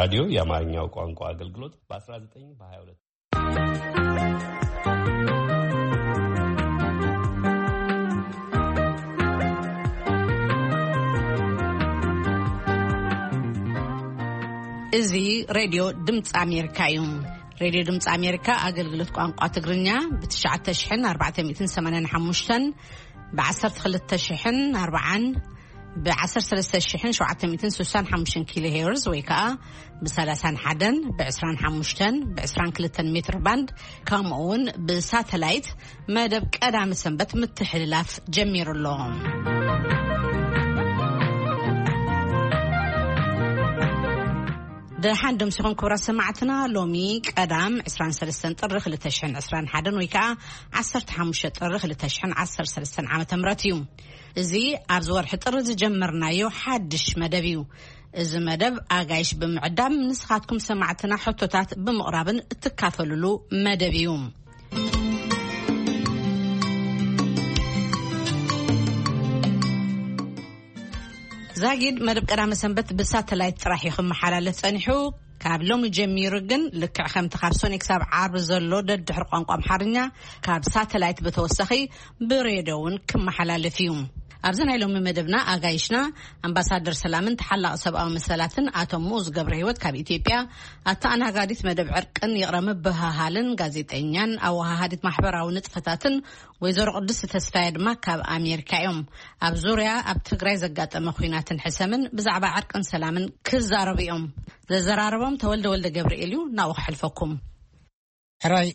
ራዲዮ የአማርኛው ቋንቋ አገልግሎት በ19 በ22 እዚ ሬድዮ ድምፂ ኣሜሪካ እዩ። ሬድዮ ድምፂ ኣሜሪካ ኣገልግሎት ቋንቋ ትግርኛ ብ9,485፣ ብ12,040፣ ብ13,765 ኪሎ ሄርዝ ወይ ከዓ ብ31፣ ብ25፣ ብ22 ሜትር ባንድ፣ ከምኡ እውን ብሳተላይት መደብ ቀዳመ ሰንበት ምትሕልላፍ ጀሚሩ ኣሎ። ደሓን ደምሲኹም ክቡራት ሰማዕትና። ሎሚ ቀዳም 23 ጥሪ 2021 ወይ ከዓ 15 ጥሪ 2013 ዓመተ ምህረት እዩ። እዚ ኣብዚ ወርሒ ጥሪ ዝጀመርናዮ ሓድሽ መደብ እዩ። እዚ መደብ ኣጋይሽ ብምዕዳም ንስኻትኩም ሰማዕትና ሕቶታት ብምቕራብን እትካፈሉሉ መደብ እዩ። ዛጊድ መደብ ቀዳመ ሰንበት ብሳተላይት ጥራሕ እዩ ክመሓላለፍ ጸኒሑ። ካብ ሎሚ ጀሚሩ ግን ልክዕ ከምቲ ካብ ሶኒ ክሳብ ዓርቢ ዘሎ ደድሕሪ ቋንቋ ኣምሓርኛ ካብ ሳተላይት ብተወሳኺ ብሬድዮ እውን ክመሓላለፍ እዩ። ኣብዚ ናይ ሎሚ መደብና ኣጋይሽና ኣምባሳደር ሰላምን ተሓላቒ ሰብኣዊ መሰላትን ኣቶ ሙኡዝ ገብረ ህይወት ካብ ኢትዮጵያ፣ ኣተኣናጋዲት መደብ ዕርቅን ይቕረ ምብህሃልን ጋዜጠኛን ኣወሃሃዲት ማሕበራዊ ንጥፈታትን ወይዘሮ ቅድስቲ ተስፋየ ድማ ካብ ኣሜሪካ እዮም። ኣብ ዙርያ ኣብ ትግራይ ዘጋጠመ ኲናትን ሕሰምን ብዛዕባ ዕርቅን ሰላምን ክዛረቡ እዮም። ዘዘራረቦም ተወልደ ወልደ ገብርኤል እዩ። ናብኡ ክሕልፈኩም። ሕራይ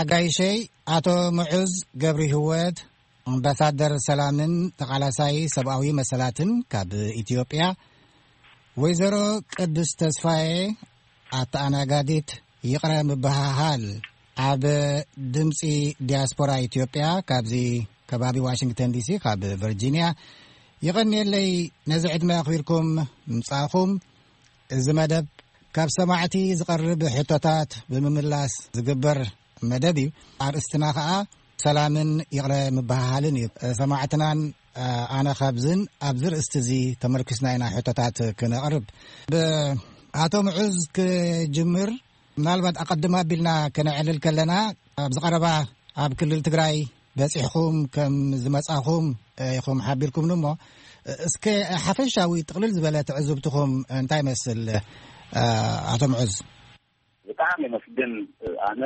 ኣጋይሸይ፣ ኣቶ ምዑዝ ገብሪ ህይወት፣ ኣምባሳደር ሰላምን ተቓላሳይ ሰብኣዊ መሰላትን ካብ ኢትዮጵያ፣ ወይዘሮ ቅድስት ተስፋዬ፣ ኣተኣናጋዲት ይቕረ ምብሃሃል ኣብ ድምፂ ዲያስፖራ ኢትዮጵያ፣ ካብዚ ከባቢ ዋሽንግተን ዲሲ፣ ካብ ቨርጂኒያ፣ ይቐንየለይ ነዚ ዕድመ ኣኽቢርኩም ምምጻእኹም። እዚ መደብ ካብ ሰማዕቲ ዝቐርብ ሕቶታት ብምምላስ ዝግበር መደብ እዩ። ኣርእስትና ኸኣ ሰላምን ይቕረ ምብሃሃልን እዩ። ሰማዕትናን ኣነ ካብዝን ኣብዚ ርእስቲ እዚ ተመርኪስና ኢና ሕቶታት ክነቕርብ። ብኣቶ ምዑዝ ክጅምር። ምናልባት ኣቐድም ኣቢልና ከነዕልል ከለና፣ ኣብዚ ቀረባ ኣብ ክልል ትግራይ በጺሕኩም ከም ዝመጻኹም ኢኹም ሓቢርኩምኒ እሞ፣ እስከ ሓፈሻዊ ጥቕልል ዝበለ ትዕዝብትኹም እንታይ ይመስል፣ ኣቶ ምዑዝ? ብጣዕሚ የመስግን። ኣነ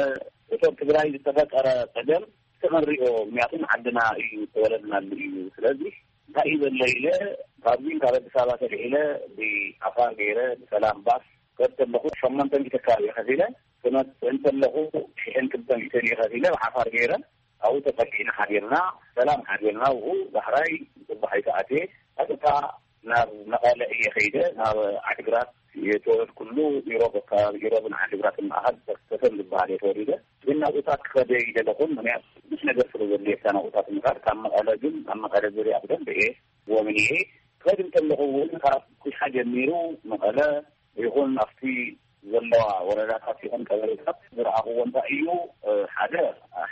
እቶም ትግራይ ዝተፈጠረ ጸገም ተመሪኦ፣ ምክንያቱ ዓድና እዩ፣ ተወለድናሉ እዩ። ስለዚ እንታይ እዩ ዘሎ ኢለ፣ ካብዚ ካብ ኣዲስ ኣበባ ተልዒለ ብዓፋር ገይረ ብሰላም ባስ ከድ ከለኹ ሸሞንተ ሚእቲ ከባቢ ከፊለ፣ ክመጽእ እንተለኹ ሽሕን ክልተ ሚእትን እየ ከፊለ ብዓፋር ገይረ። ኣብኡ ተጸጊዕና ሓዲርና፣ ሰላም ሓዲርና። ኣብኡ ዳሕራይ ጽባሕ ኣይተኣትየ፣ ቀጥታ ናብ መቐለ እየ ከይደ፣ ናብ ዓድግራት። የተወለድኩሉ ኢሮብ፣ ኣከባቢ ኢሮብን ዓድግራትን ማእኸል ተሰም ዝበሃል እየ ተወሊደ። ግን ናብኡታት ክኸደ ይደለኹን፣ ምክንያቱ ብዙሕ ነገር ስለ ዘድልየካ ናብኡታት ምኻድ። ካብ መቐለ ግን፣ ኣብ መቐለ ዙርያ ብደንብ እየ ጎብንየ። ክኸድ እንተለኹ እውን ካብ ኩሻ ጀሚሩ መቐለ ይኹን ኣብቲ ዘለዋ ወረዳታት ይኹን ቀበሌታት ዝረኣኽዎ እንታይ እዩ? ሓደ፣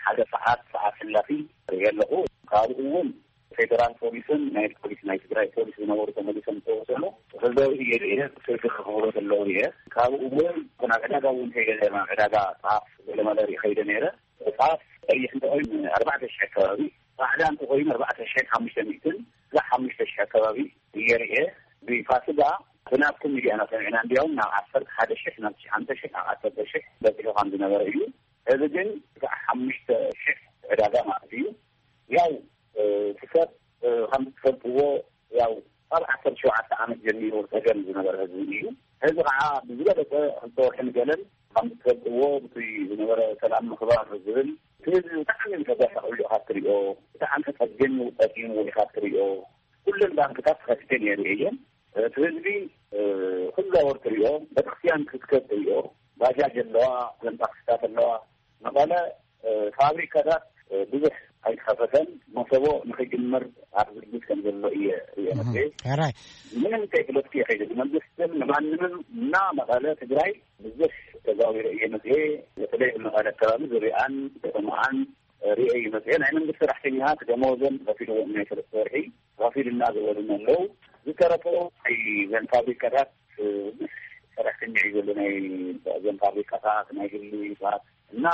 ሓደ ሰዓት፣ ሰዓት ሕላፊ ርኢ ኣለኹ። ካብኡ እውን ፌደራል ፖሊስን ናይ ፖሊስ፣ ናይ ትግራይ ፖሊስ ዝነበሩ ተመሊሶም ዝተወሰኑ ክዘሩ እየ ርእየ፣ ስልኪ ክኽብሩ ከለዉ እየ። ካብኡ እውን ናብ ዕዳጋ እውን ከይደ ነይረ፣ ናብ ዕዳጋ ጣፍ ገለመለ ርኢ ከይደ ነይረ። ጣፍ ቀይሕ እንተኾይኑ ኣርባዕተ ሽሕ ኣከባቢ፣ ጻዕዳ እንተኾይኑ ኣርባዕተ ሽሕን ሓሙሽተ ሚእትን፣ ስጋዕ ሓሙሽተ ሽሕ ኣከባቢ እየ ርእየ። ብፋስጋ ብናትኩም ሚድያና ሰሚዕና፣ እንዲያውም ናብ ዓሰርተ ሓደ ሽሕ፣ ናብ ትሽዓተ ሽሕ፣ ናብ ዓሰርተ ሽሕ በጺሑ ከም ዝነበረ እዩ። እዚ ግን ስጋዕ ሓሙሽተ ሽሕ ዕዳጋ ማለት እዩ። ያው፣ እ፣ እቲ ሰብ፣ እ፣ ከም ትፈልጥዎ፣ ያው፣ ካብ ዓሰርተ ሸውዓተ ዓመት ጀሚሩ ጸገም ዝነበረ ህዝቢ እዩ። ህዝቢ ከዓ ብዝበለጸ ክልተ ወርሒ ንገለን ከም ትፈልጥዎ፣ ብቲ ዝነበረ ሰላም ምኽባር ዝብል፣ እቲ ህዝቢ ብጣዕሚ ተጓሳቑ ኢኻ ትሪኦ፣ ብጣዕሚ ተጸጊሙ፣ ጸጊሙ ኢኻ ትሪኦ። ኩለን ባንክታት ተኸፊተን እየ ርእየን። እቲ ህዝቢ፣ እ፣ ክዛወር ትሪኦ፣ ቤተክርስትያን ክትከድ ትሪኦ፣ ባጃጅ ኣለዋ፣ እዘን ታክሲታት ኣለዋ። መቐለ፣ እ፣ ፋብሪካታት፣ እ፣ ብዙሕ ኣይተኸፈተን። መሰቦ ንኽጅምር ኣብ ዝግጅት ከም ዘሎ እየ ርእየ እህ፣ መፅኤ። ሕራይ። ምንም ከይፍለጥኩ እየ ከይደ። መንግስትን ንማንምም እና መቐለ ትግራይ ብዙሕ ተዛዊረ እየ መፅኤ። በተለይ መቐለ ኣከባቢ ዙሪኣን ከተማኣን ርእየ እዩ መፅኤ። ናይ መንግስቲ ሰራሕተኛታት ደመወዞም ተኸፊልዎም ናይ ሰለስተ ወርሒ ተኸፊልና ዝበሉና ኣለዉ። ዝተረፈ ናይ ዘን ፋብሪካታት፣ እ፣ ሰራሕተኛ እዩ ዘሎ፣ ናይ እዞም ፋብሪካታት፣ ናይ ግሊ ሰባት እና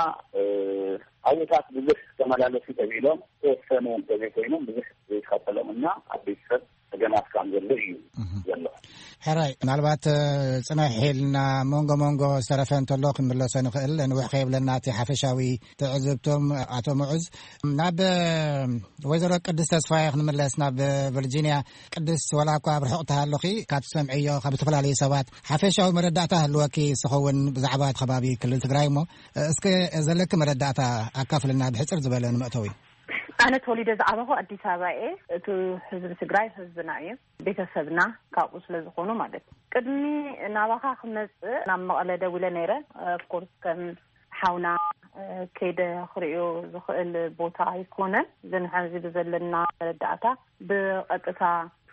ኣብታት ብዙሕ ተመላለሱ ተብሎም ተወሰኑ እንተዘይኮይኖም ብዙሕ ዘይከፈሎም እና ኣብ ቤተሰብ ጸገማት ከም ዘሎ እዩ ዘሎ። ሕራይ፣ ምናልባት ጽንሕ ኢልና መንጎ መንጎ ዝተረፈ እንተሎ ክንምለሶ ንኽእል፣ ንውሕ ከይብለና እቲ ሓፈሻዊ ትዕዝብቶም። ኣቶ ምዑዝ፣ ናብ ወይዘሮ ቅድስ ተስፋየ ክንምለስ፣ ናብ ቨርጂኒያ። ቅድስ፣ ወላ እኳ ኣብ ርሑቕ ትሃለኺ፣ ካብ ትሰምዕዮ ካብ ዝተፈላለዩ ሰባት ሓፈሻዊ መረዳእታ ህልወኪ ዝኸውን ብዛዕባ እቲ ከባቢ ክልል ትግራይ እሞ፣ እስከ ዘለኪ መረዳእታ ኣካፍልና ብሕፅር ዝበለ ንመእተዊ። ኣነ ተወሊደ ዝዓበኹ ኣዲስ ኣበባ እየ። እቲ ህዝቢ ትግራይ ህዝብና እዩ፣ ቤተሰብና ካብኡ ስለ ዝኾኑ ማለት እዩ። ቅድሚ ናባኻ ክመፅእ ናብ መቐለ ደዊለ ነይረ። ኦፍኮርስ ከም ሓውና ከይደ ክርእዮ ዝኽእል ቦታ ኣይኮነን። ግን ሕዚ ብዘለና መረዳእታ ብቐጥታ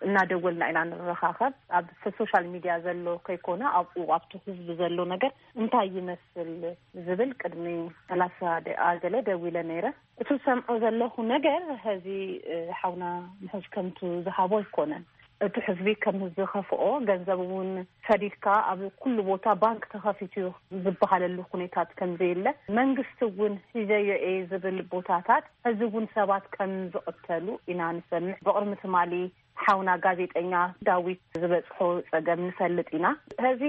እናደወልና ኢና ንረኻኸብ። ኣብ ሶሻል ሚድያ ዘሎ ከይኮነ ኣብኡ ኣብቲ ህዝቢ ዘሎ ነገር እንታይ ይመስል ዝብል ቅድሚ ሰላሳ ደቂቃ ገለ ደዊለ ነይረ። እቲ ዝሰምዖ ዘለኹ ነገር፣ ሕዚ ሓውና ምሕዝ ከምቱ ዝሃቦ ኣይኮነን። እቲ ህዝቢ ከም ዝኸፍኦ፣ ገንዘብ እውን ሰዲድካ ኣብ ኩሉ ቦታ ባንክ ተኸፊቱ ዝበሃለሉ ኩነታት ከም ዘየለ፣ መንግስቲ እውን ሒዘዮ እየ ዝብል ቦታታት፣ ሕዚ እውን ሰባት ከም ዝቕተሉ ኢና ንሰምዕ። ብቕድሚ ትማሊ ሓውና ጋዜጠኛ ዳዊት ዝበፅሖ ፀገም ንፈልጥ ኢና። ሕዚ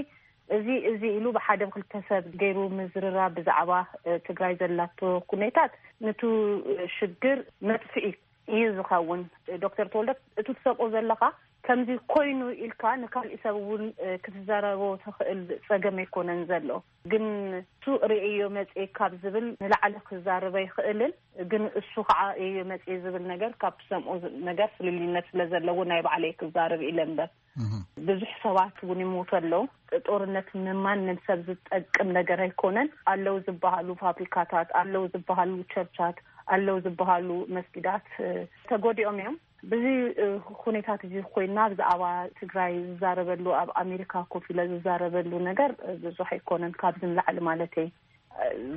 እዚ፣ እዚ ኢሉ ብሓደ ብክልተ ሰብ ገይሩ ምዝርራብ ብዛዕባ ትግራይ ዘላቶ ኩነታት፣ ንቱ ሽግር መጥፍኢ እዩ ዝኸውን። ዶክተር ተወልደ፣ እቲ ትሰምዖ ዘለኻ ከምዚ ኮይኑ ኢልካ ንካሊእ ሰብ እውን ክትዛረቦ ትኽእል ፀገም ኣይኮነን ዘሎ። ግን እሱ ርእዮ መፅኤ ካብ ዝብል ንላዕሊ ክዛረብ ኣይኽእልን። ግን እሱ ከዓ ርእዮ መፅኤ ዝብል ነገር ካብ ትሰምዖ ነገር ፍልልይነት ስለ ዘለዎ ናይ ባዕለይ ክዛረብ ኢለ እምበር። ብዙሕ ሰባት እውን ይሞቱ ኣለዉ። ጦርነት ንማንም ሰብ ዝጠቅም ነገር ኣይኮነን። ኣለዉ ዝበሃሉ ፋብሪካታት፣ ኣለዉ ዝበሃሉ ቸርቻት፣ ኣለዉ ዝበሃሉ መስጊዳት ተጎዲኦም እዮም። ብዚ ኩነታት እዚ ኮይና ብዛዕባ ትግራይ ዝዛረበሉ፣ ኣብ ኣሜሪካ ኮፍ ኢለ ዝዛረበሉ ነገር ብዙሕ ኣይኮነን። ካብዚ ንላዕሊ ማለተይ፣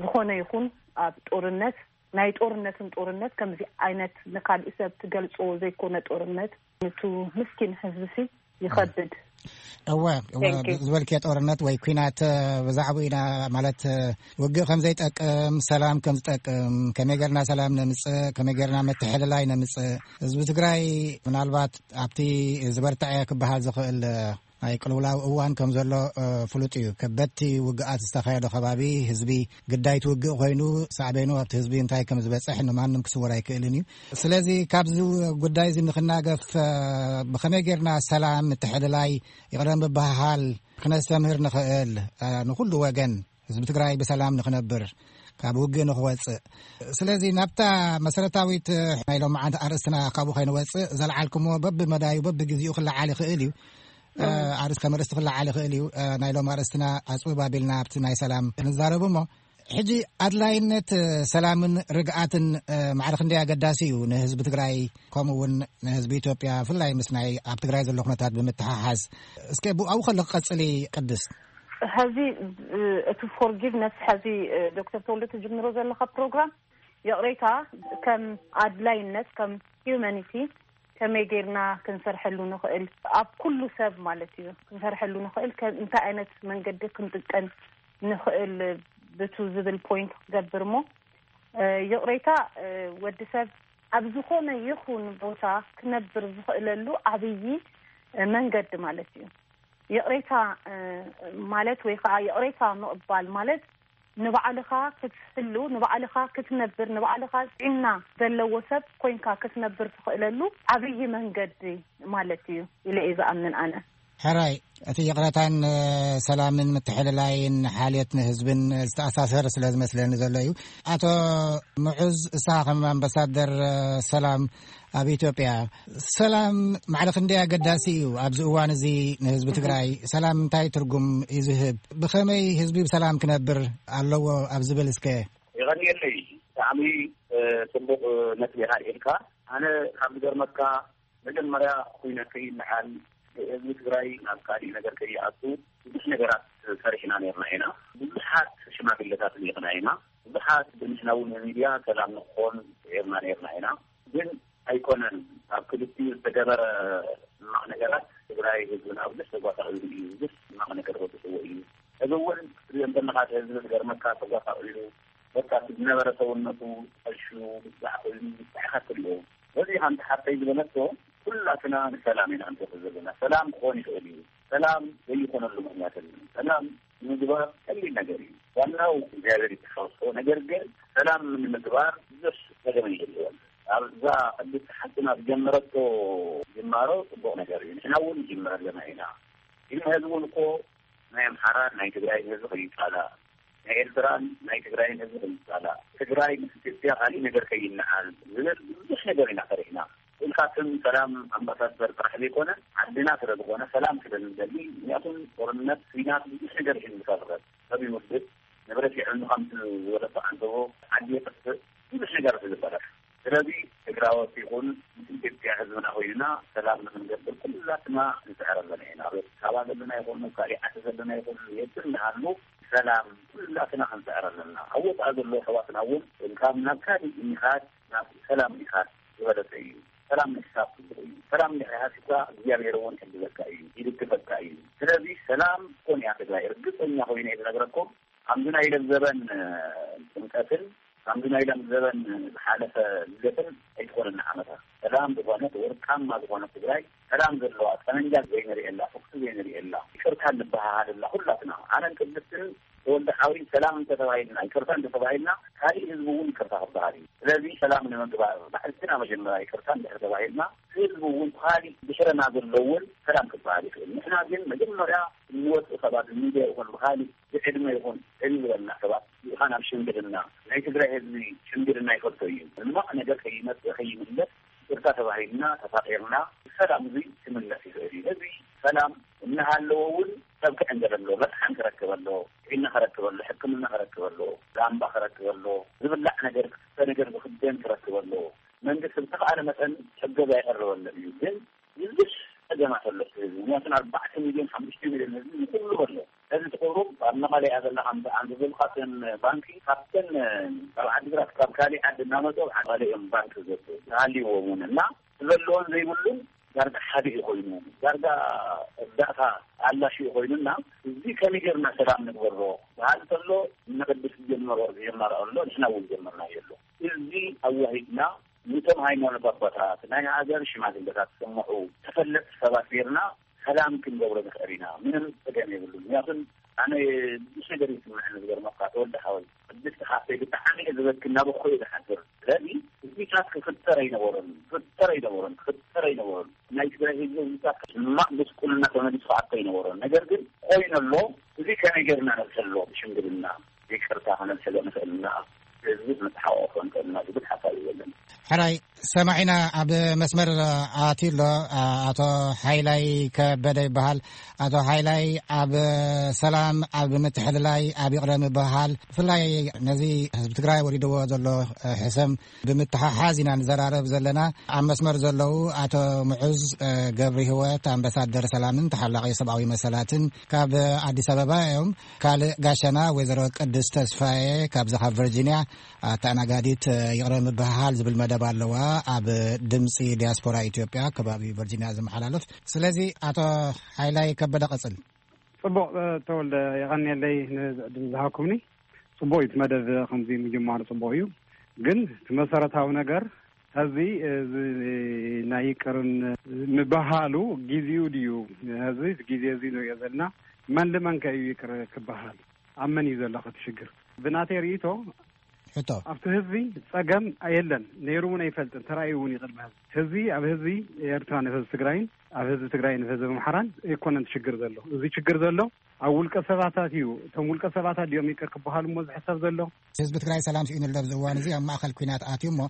ዝኾነ ይኹን ኣብ ጦርነት፣ ናይ ጦርነትን ጦርነት ከምዚ ዓይነት ንካልእ ሰብ ትገልጾ ዘይኮነ ጦርነት፣ ንቱ ምስኪን ህዝብሲ ይኸብድ። እወ፣ እወ፣ Thank you። ዝበልክዮ ጦርነት ወይ ኲናት፣ ብዛዕባኡ ኢና፣ ማለት፣ ውግእ ከም ዘይጠቅም፣ ሰላም ከም ዝጠቅም፣ ከመይ ጌርና ሰላም ነምጽእ፣ ከመይ ጌርና መተሐልላይ ነምጽእ። ህዝቢ ትግራይ ምናልባት ኣብቲ ዝበርትዐ ክበሃል ዝኽእል ናይ ቅልውላው እዋን ከም ዘሎ ፍሉጥ እዩ። ከበድቲ ውግኣት ዝተኻየዶ ከባቢ ህዝቢ ግዳይቲ ውግእ ኮይኑ ሳዕቤኑ ኣብቲ ህዝቢ እንታይ ከም ዝበፅሕ ንማንም ክስወር ኣይክእልን እዩ። ስለዚ ካብዚ ጉዳይ እዚ ንክናገፍ ብኸመይ ጌርና ሰላም፣ ምትሕልላይ፣ ይቕረ ምብህሃል ክነስተምህር ንኽእል፣ ንኹሉ ወገን ህዝቢ ትግራይ ብሰላም ንኽነብር፣ ካብ ውግእ ንኽወፅእ። ስለዚ ናብታ መሰረታዊት ናይ ሎማዓንቲ ኣርእስትና ካብኡ ከይንወፅእ ዘልዓልኩምዎ በብመዳዩ በብግዜኡ ክለዓል ይኽእል እዩ። ኣርእስቲ ከም ኣርእስቲ ክለዓል ይኽእል እዩ። ናይ ሎም ኣርእስትና ኣፅብብ ኣቢልና ኣብቲ ናይ ሰላም ንዛረብ እሞ፣ ሕጂ ኣድላይነት ሰላምን ርግኣትን ማዕረ ክንደይ ኣገዳሲ እዩ ንህዝቢ ትግራይ፣ ከምኡ እውን ንህዝቢ ኢትዮጵያ፣ ብፍላይ ምስ ናይ ኣብ ትግራይ ዘሎ ኩነታት ብምትሓሓዝ። እስከ ብኣው ከሎ ክቐፅል ቅድስት። ሕዚ እቲ ፎርጊቭነስ፣ ሕዚ ዶክተር ተወልደ ትጅምሮ ዘለካ ፕሮግራም፣ ይቕሬታ፣ ከም ኣድላይነት፣ ከም ሂዩማኒቲ ከመይ ጌርና ክንሰርሐሉ ንኽእል፣ ኣብ ኩሉ ሰብ ማለት እዩ ክንሰርሐሉ ንኽእል፣ ከ- እንታይ ዓይነት መንገዲ ክንጥቀም ንኽእል ብቱ ዝብል ፖይንት ክገብር እሞ፣ ይቕሬታ፣ ወዲ ሰብ ኣብ ዝኾነ ይኹን ቦታ ክነብር ዝኽእለሉ ዓብዪ መንገዲ ማለት እዩ። ይቕሬታ ማለት ወይ ከዓ ይቕሬታ ምቕባል ማለት ንባዕልኻ ክትህሉ፣ ንባዕልኻ ክትነብር፣ ንባዕልኻ ጥዕና ዘለዎ ሰብ ኮይንካ ክትነብር ትኽእለሉ ዓብዪ መንገዲ ማለት እዩ ኢለ እየ ዝኣምን ኣነ። ሕራይ፣ እቲ ይቕረታን ሰላምን ምትሕልላይን ሓልዮት ንህዝብን ዝተኣሳሰር ስለ ዝመስለኒ ዘሎ እዩ። ኣቶ ምዑዝ፣ እሳ ከም ኣምባሳደር ሰላም ኣብ ኢትዮጵያ፣ ሰላም ማዕረ ክንደይ ኣገዳሲ እዩ ኣብዚ እዋን እዚ ንህዝቢ ትግራይ? ሰላም እንታይ ትርጉም እዩ ዝህብ? ብኸመይ ህዝቢ ብሰላም ክነብር ኣለዎ ኣብ ዝብል እስከ። የቐንየለይ፣ ብጣዕሚ ጽቡቕ ነጥቢ ኢኻ ኣልዒልካ። ኣነ ካብ ዝገርመካ፣ መጀመርያ ኩናት ከይለዓል፣ ህዝቢ ትግራይ ናብ ካሊእ ነገር ከይኣቱ ብዙሕ ነገራት ሰሪሕና ነርና ኢና። ብዙሓት ሽማግለታት ልኢኽና ኢና። ብዙሓት ብንሕና እውን ሚድያ ሰላም ንክኾን ጽዒርና ነርና ኢና። ግን ኣይኮነን። ኣብ ክልቲኡ ዝተገበረ ሕማቕ ነገራት ትግራይ ህዝብና ብዙሕ ተጓሳቒሉ እዩ፣ ብዙሕ ሕማቕ ነገር በፂሕዎ እዩ። እዚ እውን ክትሪኦ እንተለኻ እቲ ህዝቢ ዝገርመካ ተጓሳቒሉ በቃ እቲ ዝነበረ ሰውነቱ ተቐሹ ብዛዕ ኮይኑ ብዛዕኻ ትሪኦ። በዚ ሓንቲ ሓፍተይ ዝበለቶ ኩላትና ንሰላም ኢና ንፈቱ ዘለና። ሰላም ክኾን ይኽእል እዩ። ሰላም ዘይኾነሉ ምኽንያት የለን። ሰላም ንምግባር ቀሊል ነገር እዩ። ዋናው እግዚኣብሔር ይተሓወሶ። ነገር ግን ሰላም ንምግባር ብዙሕ ጸገም ይህልወን። ኣብዛ ቅድስቲ ሓፍትና ዝጀመረቶ ጅማሮ ጽቡቕ ነገር እዩ። ንሕና እውን ንጅምር ኣለና ኢና። ግን ህዝቢ እውን እኮ ናይ ኣምሓራን ናይ ትግራይን ህዝቢ ከይጻላእ፣ ናይ ኤርትራን ናይ ትግራይን ህዝቢ ከይጻላእ፣ ትግራይ ምስ ኢትዮጵያ ካሊእ ነገር ከይነዓል ዝብል ብዙሕ ነገር ኢና ፈሪሕና። ኢልካ ስም ሰላም ኣምባሳደር ጥራሕ ዘይኮነ ዓድና ስለ ዝኾነ ሰላም ስለ ንደሊ፣ ምክንያቱም ጦርነት፣ ኲናት ብዙሕ ነገር እዩ ዝፈጥር። ሰብ ይውድእ፣ ንብረት ይዕኑ፣ ከምቲ ዝበለቶ ዓንተቦ ዓዲ ይጥፍእ፣ ብዙሕ ነገር እዩ ዝፈጠር። ስለዚ ትግራዎት ይኹን ምስ ኢትዮጵያ ህዝብና ኮይንና ሰላም ንክንገብር ኩላትና ክንስዕር ኣለና ኢና። ኣብ ኣዲስ ኣበባ ዘለና ይኹን ኣብ ካሊእ ዓዲ ዘለና ይኹን የትም ንሃሉ ሰላም ኩላትና ክንስዕር ኣለና። ኣብ ወፃኢ ዘሎ ኣሕዋትና እውን ካብ ናብ ካሊእ ምኻድ ናብ ሰላም ምኻድ ዝበለፀ እዩ። ሰላም ምሕሳብ ፅቡቕ እዩ። ሰላም እንድሕር ሃሲብካ እግዚኣብሔር እውን ይሕግዘካ እዩ፣ ይድግፈካ እዩ። ስለዚ ሰላም ኮን እያ ትግራይ። ርግፀኛ ኮይነ እየ ዝነግረኩም። ከምዚ ናይ ሎም ዘበን ጥምቀትን ከምዚ ናይ ሎም ዘበን ዝሓለፈ ልደትን ኣይትኾነና ዓመታ። ሰላም ዝኾነት ወርቃማ ዝኾነት ትግራይ፣ ሰላም ዘለዋ፣ ጠመንጃ ዘይንርእየላ፣ ተኩሲ ዘይንርእየላ፣ ይቅርታ እንበሃሃለላ ኩላትና። ኣነን ቅድስትን ተወልደ ሓውሪን ሰላም እንተተባሂልና፣ ይቅርታ እንተተባሂልና፣ ካሊእ ህዝቢ እውን ይቅርታ ክበሃል እዩ። ስለዚ ሰላም ንምግባር ባዕልትና መጀመርያ ይቅርታ እንድሕር ተባሂልና፣ ህዝቢ እውን ካሊእ ድሕረና ዘሎ እውን ሰላም ክበሃል ይኽእል። ንሕና ግን መጀመርያ እንወፅእ ሰባት ሚድያ ይኹን ብካሊእ ብዕድመ ይኹን ዕብይ ዝበልና ሰባት ልኢኻ ናብ ሽምግልና፣ ናይ ትግራይ ህዝቢ ሽምግልና ይፈልጦ እዩ። ሕማቕ ነገር ከይመፅእ ከይምለስ ይቅርታ ተባሂልና ተፋቂርና ሰላም እዚ ክምለስ ይኽእል እዩ። እዚ ሰላም እናሃለወ እውን ሰብ ክዕንገል ኣለዎ። መጥሓን ክረክብ ኣለዎ፣ ጥዕና ክረክብ ኣለዎ፣ ሕክምና ክረክብ ኣለዎ፣ ላምባ ክረክብ ኣለዎ፣ ዝብላዕ ነገር ክስተ ነገር ዝኽደን ክረክብ ኣለዎ። መንግስቲ ብዝተኽኣለ መጠን እገዛ ይቐርበሎም እዩ። ግን ብዙሕ ጸገማት ኣሎ እቲ ህዝቢ። ምክንያቱ ኣርባዕተ ሚልዮን ሓሙሽተ ሚልዮን ህዝቢ ንኩሉ ኣሎ። እዚ ትቑሩብ ኣብ መቐለ እያ ዘላ ሓንቲ ዝበልካትን ባንኪ ካብተን ካብ ዓዲግራት ካብ ካሊእ ዓዲ እናመፁ ኣብ መቐለ እዮም ባንኪ ዘ- ዝሃልይዎም እውን እና ዘለዎን ዘይብሉን ዳርጋ ሓደ እዩ ኮይኑ ዳርጋ እርዳእታ ኣላሽ እዩ ኮይኑና እዚ ከመይ ጌርና ሰላም ንግበሮ በሃል ከሎ እነ ቅድስ ዝጀመሮ ዝጀመረ ኣሎ ንሕና እውን ጀመርና የሎ እዚ ኣዋሂድና ንቶም ሃይማኖት ኣቦታት ናይ ሃገር ሽማግለታት ዝሰምዑ ተፈለጥቲ ሰባት ጌርና ሰላም ክንገብሮ ንኽእል ኢና። ምንም ጸገም የብሉን። ምክንያቱም ኣነ ብዙሕ ነገር ይስምዐኒ ዝገርመካ ተወልደ ሓወይ ቅድስቲ ሓፍተይ ብጣዕሚ እየ ዝበኪ እናበኩ እየ ዝሓድር። ስለዚ እዚታት ክፍጠር ኣይነበሮን ክፍጠር ኣይነበሮን ክፍጠር ኣይነበሮን። ናይ ትግራይ ህዝቢ እዚታት ሕማቕ ጉስቁልና ተመሊሱ ክኣቱ ኣይነበሮን። ነገር ግን ኮይኑ ኣሎ። እዚ ከመይ ጌርና ነብሰሎ ብሽምግልና ይቅርታ ከነብሰሎ ንኽእልና ህዝቢ መተሓቋቆፎ ንኽእልና ዝብል ሓሳብ እዩ ዘለኒ። ሕራይ ሰማዒና ኣብ መስመር ኣትዩ ኣሎ። ኣቶ ሓይላይ ከበደ ይበሃል። ኣቶ ሓይላይ ኣብ ሰላም ኣብ ምትሕልላይ ኣብ ይቕረ ምብሃል ብፍላይ ነዚ ህዝቢ ትግራይ ወሪድዎ ዘሎ ሕሰም ብምትሓሓዝ ኢና ንዘራረብ ዘለና። ኣብ መስመር ዘለዉ ኣቶ ምዑዝ ገብሪ ህይወት ኣምባሳደር ሰላምን ተሓላቒ ሰብኣዊ መሰላትን ካብ ኣዲስ ኣበባ እዮም። ካልእ ጋሻና ወይዘሮ ቅድስት ተስፋዬ ካብዚ ካብ ቨርጂንያ ኣተኣናጋዲት ይቕረ ምብህሃል ዝብል መደብ ኣለዋ ኣብ ድምፂ ዲያስፖራ ኢትዮጵያ ከባቢ ቨርጂንያ ዝመሓላለፍ። ስለዚ ኣቶ ሓይላይ ከበደ ቀፅል። ጽቡቕ ተወልደ የቐንየለይ ንዕድል ዝሃብኩምኒ። ጽቡቕ እዩ እቲ መደብ ከምዚ ምጅማሩ ጽቡቕ እዩ። ግን እቲ መሰረታዊ ነገር ሕዚ እዚ ናይ ይቅርን ምብሃሉ ጊዜኡ ድዩ? ሕዚ ግዜ እዚ ንሪኦ ዘለና መን ልመን ከ እዩ ይቅር ክበሃል? ኣብ መን እዩ ዘሎ እቲ ሽግር? ብናተይ ርእይቶ ሕቶ ኣብቲ ህዝቢ ጸገም የለን፣ ነይሩ እውን ኣይፈልጥን፣ ተራእዩ እውን ይቅድሚ ሕዚ። ሕዚ ኣብ ህዝቢ ኤርትራ ንህዝቢ ትግራይን ኣብ ህዝቢ ትግራይ ንህዝቢ ኣምሓራን ኣይኮነን እቲ ሽግር ዘሎ። እዚ ሽግር ዘሎ ኣብ ውልቀ ሰባታት እዩ። እቶም ውልቀ ሰባት ድዮም ይቅር ክበሃሉ እሞ ዝሕሰብ ዘሎ? ህዝቢ ትግራይ ሰላም ስኢኑ ኣሎ ኣብዚ እዋን እዚ ኣብ ማእኸል ኲናት ኣትዩ እሞ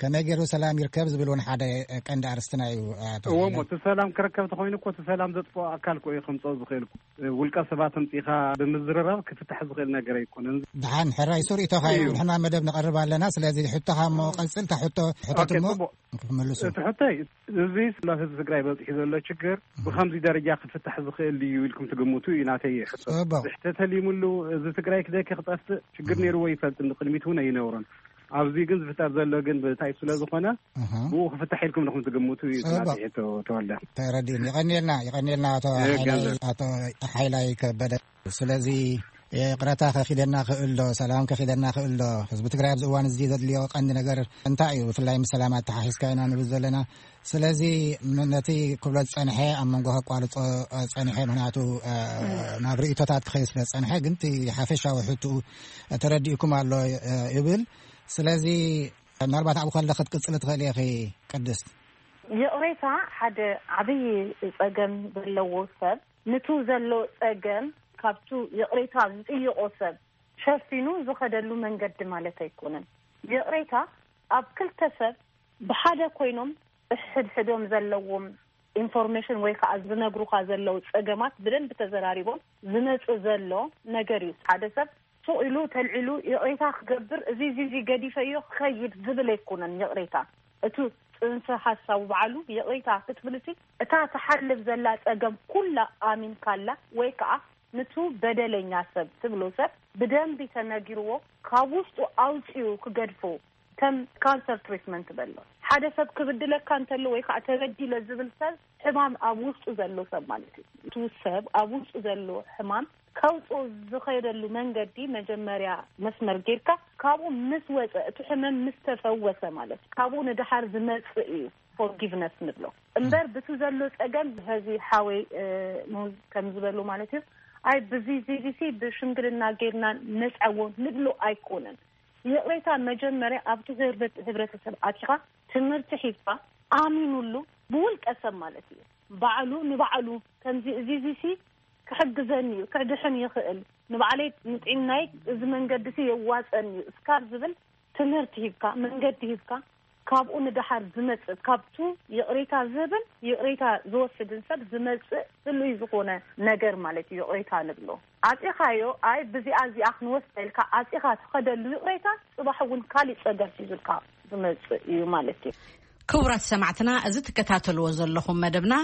ከመይ ገይሩ ሰላም ይርከብ ዝብል እውን ሓደ ቀንዲ ኣርስትና እዩ። ኣቶ እዎ እሞ እቲ ሰላም ክርከብ ተኮይኑ እኮ እቲ ሰላም ዘጥፍኦ ኣካል እኮ እዩ ከምፅኦ ዝኽእል እኮ። ውልቀ ሰባት ኣምፂኻ ብምዝርራብ ክፍታሕ ዝኽእል ነገር ኣይኮነን። ደሓን ሕራይ ሱር ኢቶኻ እዩ። ንሕና መደብ ንቐርብ ኣለና። ስለዚ ሕቶኻ እሞ ቀፅል። እታ ሕቶ ሕቶት ኦኬ፣ እሞ ጽቡቕ። ክመልሱ እቲ ሕቶይ እዚ ስለ ህዝቢ ትግራይ በፂሑ ዘሎ ችግር ብከምዚ ደረጃ ክፍታሕ ዝኽእል ድዩ ኢልኩም ትግምቱ እዩ ናተይ ሕቶ። ጽቡቕ። ብሕተ ተሊሙሉ እዚ ትግራይ ክደኪ ክጠፍእ ችግር ነይርዎ ይፈልጥ ንቅድሚት እውን ኣይነብሮን። ኣብዚ ግን ዝፍጠር ዘሎ ግን ብታይ ስለ ዝኾነ፣ እህ። ብኡ ክፍታሕ ኢልኩም ንኹም ትግምቱ እዩ ጽቡቅ። ናተይ ሕቶ ተወልደ። ተረዲኡኒ። ይቐንየልና፣ ይቐንየልና ኣቶ እህ፣ ሓይላይ፣ ገንዘብ። ኣቶ ሓይላይ ከበደ። ስለዚ ይቕረታ ከኺደና ክእል ዶ፣ ሰላም ከኺደና ክእል ዶ? ህዝቢ ትግራይ ኣብዚ እዋን እዚ ዘድልዮ ቀንዲ ነገር እንታይ እዩ? ብፍላይ ምስ ሰላም ኣተሓሒዝካ ኢና ንብል ዘለና። ስለዚ ን-፣ ነቲ ክብሎ ዝጸንሐ ኣብ መንጎ ከቋርጾ፣ እ፣ ጸኒሐ፣ ምኽንያቱ፣ እ፣ እም። ናብ ርእይቶታት ክኸይድ ስለ ዝጸንሐ፣ ግን እቲ ሓፈሻዊ ሕትኡ ተረዲእኩም ኣሎ፣ እ፣ ይብል። ስለዚ ምናልባት ኣብኡ ከለኺ ክትቅጽሊ ትኽእሊ ኢኺ ቅድስት። ይቕሬታ ሓደ ዓብዪ ጸገም ዘለዎ ሰብ፣ ንቱ ዘሎ ጸገም ካብቱ ይቕሬታ ዝጥይቖ ሰብ ሸፊኑ ዝኸደሉ መንገዲ ማለት ኣይኮነን። ይቕሬታ ኣብ ክልተ ሰብ ብሓደ ኮይኖም ሕድሕዶም ዘለዎም ኢንፎርሜሽን ወይ ከዓ ዝነግሩኻ ዘለዉ ጸገማት ብደንብ ተዘራሪቦም ዝመጽእ ዘሎ ነገር እዩ። ሓደ ሰብ ሱቕ ኢሉ ተልዒሉ ይቕሬታ ክገብር፣ እዚ፣ እዚ፣ እዚ ገዲፈዮ ክኸይድ ዝብል ኣይኮነን ይቕሬታ። እቱ ጽንሰ ሓሳቡ ባዕሉ ይቕሬታ ክትብል፣ እቲ እታ ትሓልፍ ዘላ ጸገም ኩላ ኣሚንካላ ወይ ከዓ ንቱ በደለኛ ሰብ ትብሎ ሰብ ብደንቢ ተነጊርዎ ካብ ውሽጡ ኣውጺኡ ክገድፎ ከም ካንሰር ትሪትመንት በሎ። ሓደ ሰብ ክብድለካ እንተሎ ወይ ከዓ ተበዲለ ዝብል ሰብ ሕማም ኣብ ውሽጡ ዘሎ ሰብ ማለት እዩ። እቱ ሰብ ኣብ ውሽጡ ዘሎ ሕማም ከውፅኦ ዝኸደሉ መንገዲ መጀመርያ መስመር ጌርካ ካብኡ ምስ ወፀ፣ እቲ ሕመም ምስ ተፈወሰ ማለት እዩ። ካብኡ ንድሓር ዝመፅእ እዩ ፎርጊቭነስ ንብሎ። እምበር ብቱ ዘሎ ፀገም ሀዚ ሓወይ፣ እ፣ ሙዝ ከም ዝበሉ ማለት እዩ። ኣይ ብዚ ዚዚሲ ብሽምግልና ጌርና ነፅዕዎ ንብሎ ኣይኮነን። ይቕሬታ መጀመርያ ኣብቲ ህርበት-፣ ህብረተሰብ ኣቲኻ ትምህርቲ ሒዝካ ኣሚኑሉ ብውልቀ ሰብ ማለት እዩ። ባዕሉ ንባዕሉ ከምዚ እዚ እዚሲ ክሕግዘኒ እዩ፣ ክድሕን ይኽእል፣ ንባዕለይ ንጥዕናይ እዚ መንገዲሲ የዋፀኒ እዩ እስካብ ዝብል ትምህርቲ ሂብካ፣ መንገዲ ሂብካ፣ ካብኡ ንደሓር ዝመጽእ፣ ካብቱ ይቕሬታ ዝህብን ይቕሬታ ዝወስድን ሰብ ዝመጽእ ህሉይ ዝኾነ ነገር ማለት እዩ ይቕሬታ ንብሎ። ኣጺኻዮ፣ ኣይ ብዚኣ እዚኣ ክንወስዳ ኢልካ ኣጺኻ ትኸደሉ ይቕሬታ፣ ጽባሕ እውን ካሊእ ጸገም ሒዙልካ ዝመጽእ እዩ ማለት እዩ። ክቡራት ሰማዕትና፣ እዚ ትከታተልዎ ዘለኹም መደብና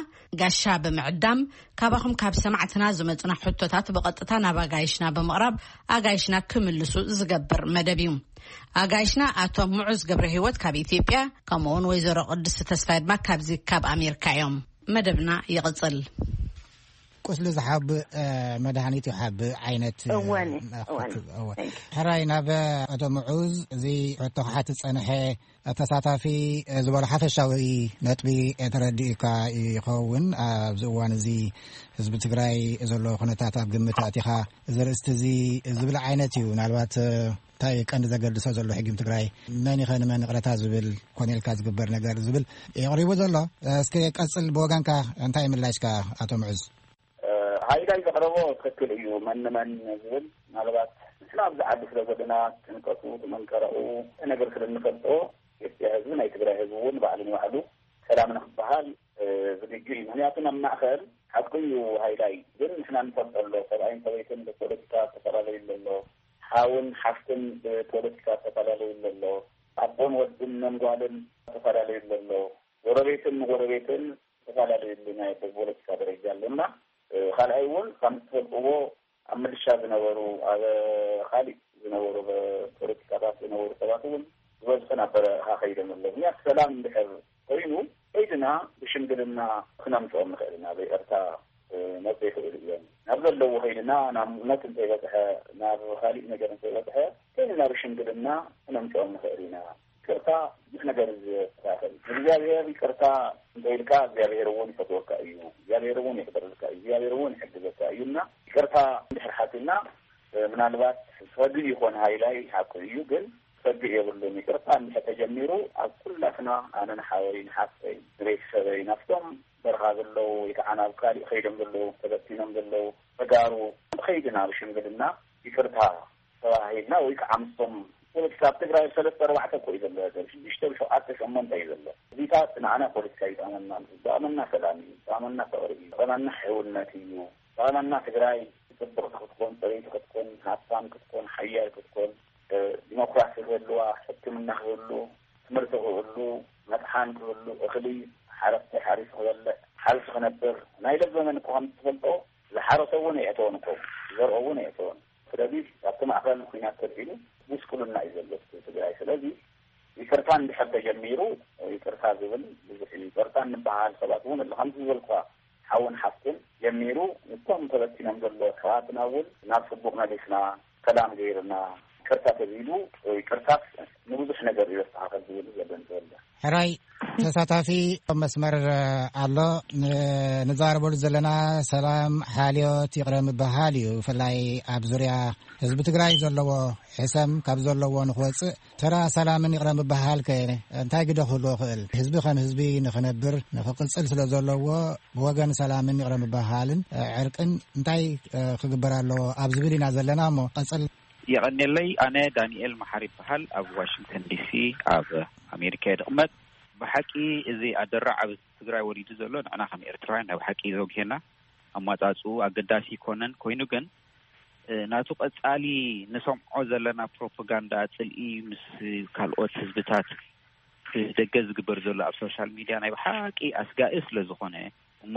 ጋሻ ብምዕዳም፣ ካባኹም ካብ ሰማዕትና ዝመጹና ሕቶታት ብቐጥታ ናብ ኣጋይሽና ብምቕራብ ኣጋይሽና ክምልሱ ዝገብር መደብ እዩ። ኣጋይሽና ኣቶ ሙዑዝ ገብረ ህይወት ካብ ኢትዮጵያ፣ ከምኡውን ወይዘሮ ቅድስቲ ተስፋይ ድማ ካብዚ ካብ ኣሜሪካ እዮም። መደብና ይቕጽል። ቁስሊ ዝሓብእ፣ እ፣ መድሃኒት ይሓብእ ዓይነት፣ እ፣ እወኒ፣ ናፍቲ-፣ እወኒ። እወ። Thank you። ሕራይ ናብ ኣቶ ሙዑዝ እዚ ሕቶ ክሓትት ጸንሐ ተሳታፊ፣ እ፣ ዝበሎ ሓፈሻዊ ነጥቢ፣ እ፣ ተረዲኡካ ይኸውን። ኣብዚ እዋን እዚ ህዝቢ ትግራይ ዘሎ ኩነታት ኣብ ግምት ኣእቲኻ እዚ ርእስቲ እዚ ዝብል ዓይነት እዩ። ምናልባት፣ እ፣ እንታይ ቀንዲ ዘገድሶ ዘሎ ሕጊም ትግራይ፣ መን ይኸ ንመን ይቕረታ ዝብል ኮነ ኢልካ ዝግበር ነገር ዝብል የቕሪቡ ዘሎ። እስከ ቀጽል፣ ብወገንካ እንታይ ምላሽካ ኣቶ ምዑዝ? እ፣ ሃይላይ ዘቕረቦ ትኽክል እዩ። መን ንመን ዝብል ምናልባት ንሕና ኣብዚ ዓዲ ስለ ዘለና ትንቀቱ፣ ትመንቀረኡ ነገር ስለ እንፈልጦ፣ ኢትዮጵያ ህዝቢ፣ ናይ ትግራይ ህዝቢ እውን ባዕሉ ንባዕሉ ሰላም ንክበሃል፣ እ፣ ዝግጁ እዩ። ምክንያቱ ናብ ማእኸል ሓቁ እዩ ሃይላይ፣ ግን ንሕና ንፈልጦ ኣሎ፣ ሰብኣይን ሰበይትን ብፖለቲካ ዝተፈላለዩ ኣሎ፣ ሓውን ሓፍትን ብፖለቲካ ዝተፈላለዩ ኣሎ፣ ኣቦን ወድን መን ጓልን ዝተፈላለዩ ኣሎ፣ ጎረቤትን ንጎረቤትን ዝተፈላለዩ ኣሎ፣ ናይ ብፖለቲካ ደረጃ ኣሎ እና፣ እ፣ ካልኣይ እውን ከም ትፈልጥዎ ኣብ ምልሻ ዝነበሩ፣ ኣብ ካሊእ ዝነበሩ፣ ብ-፣ ፖለቲካታት ዝነበሩ ሰባት እውን ዝበዝሑ ናብ በረኻ ከይዶም ኣለዉ። ምክንያቱ ሰላም እንድሕር ኮይኑ ከይድና ብሽምግልና ክነምፅኦም ንኽእል ኢና። ብይቕርታ፣ እ፣ መፅእ ይኽእሉ እዮም። ናብ ዘለዉ ከይድና ናብ ሞት እንተይበፅሐ፣ ናብ ካሊእ ነገር እንተይበፅሐ ከይድና ብሽምግልና ክነምፅኦም ንኽእል ኢና። ይቅርታ ብዙሕ ነገር እዩ ዘስተካከል። ንእግዚኣብሔር ይቅርታ እንተኢልካ እግዚኣብሔር እውን ይፈትወካ እዩ። እግዚኣብሔር እውን ይቅርልካ እዩ። እግዚኣብሔር እውን ይሕግዘካ እዩ። እና ይቅርታ እንድሕር ሓቲና፣ እ፣ ምናልባት ዝፈግእ ይኾን ሃይላይ ሓቁ እዩ፣ ግን ዝፈግእ የብሉን። ይቅርታ እንድሕር ተጀሚሩ ኣብ ኩላትና፣ ኣነ ንሓወይ ንሓፍተይ ንቤተሰበይ ናብቶም በረኻ ዘለዉ ወይ ከዓ ናብ ካሊእ ከይዶም ዘለዉ ተበቲኖም ዘለዉ ተጋሩ ከይድና ብሽምግልና ይቅርታ ተባሂልና ወይ ከዓ ምስቶም ፖለቲካ ኣብ ትግራይ ሰለስተ ኣርባዕተ እኮ እዩ ዘሎ፣ ሽዱሽተ ሸውዓተ ሸሞንተ እዩ ዘሎ። እዚታት ንዓና ፖለቲካ ይጠቕመና፣ ዝጠቕመና ሰላም እዩ፣ ዝጠቕመና ፍቕሪ እዩ፣ ዝጠቕመና ሕውነት እዩ፣ ዝጠቕመና ትግራይ ጽብቕቲ ክትኮን፣ ጽርይቲ ክትኮን፣ ሃብታም ክትኮን፣ ሓያል ክትኮን፣ እ፣ ዲሞክራሲ ክህልዋ፣ ሕክምና ክህሉ፣ ትምህርቲ ክህሉ፣ መጥሓን ክህሉ፣ እኽሊ ሓረስታይ ሓሪሱ ክበልዕ፣ ሓልሲ ክነብር፣ ናይ ለዘመን እኮ ከም ትፈልጦ ዝሓረሰ እውን የእተወን እኮ፣ ዝዘርኦ እውን የእተወን። ስለዚ ኣብቲ ማእኸል ኩናት ተልዒሉ ጉስቁልና እዩ ዘሎ ትግራይ። ስለዚ ይቅርታ እንድሕር ተጀሚሩ፣ ይቅርታ ዝብል ብዙሕ እዩ። ይቅርታ እንበሃል ሰባት እውን ኣሎ። ከምዚ ዝበልኳ ሓውን ሓፍትን ጀሚሩ፣ እቶም ተበቲኖም ዘሎ ኣሕዋትና እውን ናብ ጽቡቕ መሊስና፣ ሰላም ገይርና፣ ይቅርታ ተቢሉ፣ ይቅርታ ንብዙሕ ነገር እዩ ዘስተኻኸል ዝብል ዘሎ እንተወልደ። ሕራይ ተሳታፊ ኣብ መስመር ኣሎ። ን-፣ ንዛረበሉ ዘለና ሰላም፣ ሓልዮት፣ ይቕረ ምብሃል እዩ። ብፍላይ ኣብ ዙርያ ህዝቢ ትግራይ ዘለዎ ሕሰም ካብ ዘለዎ ንክወፅእ ተራ ሰላምን ይቕረ ምብሃል ከ እንታይ ግደ ክህልዎ ክእል? ህዝቢ ከም ህዝቢ ንክነብር ንክቅፅል ስለ ዘለዎ ብወገን ሰላምን ይቕረ ምብሃልን ዕርቅን እንታይ ክግበር ኣለዎ ኣብ ዝብል ኢና ዘለና። እሞ ቀፅል። የቐኔለይ። ኣነ ዳንኤል መሓሪ ይበሃል። ኣብ ዋሽንግተን ዲሲ ኣብ ኣሜሪካ እየ ድቕመጥ። ብሓቂ እዚ ኣደራዕ ኣብ ትግራይ ወሪዱ ዘሎ ንዕና ከም ኤርትራውያን ናይ ብሓቂ ዘጉሄና፣ ኣማጻጽኡ ኣገዳሲ ይኮነን። ኮይኑ ግን፣ እ፣ ናቱ ቀጻሊ ንሰምዖ ዘለና ፕሮፓጋንዳ ጽልኢ ምስ ካልኦት ህዝብታት ብደገ ዝግበር ዘሎ ኣብ ሶሻል ሚድያ ናይ ብሓቂ ኣስጋኢ ስለ ዝኾነ፣ እሞ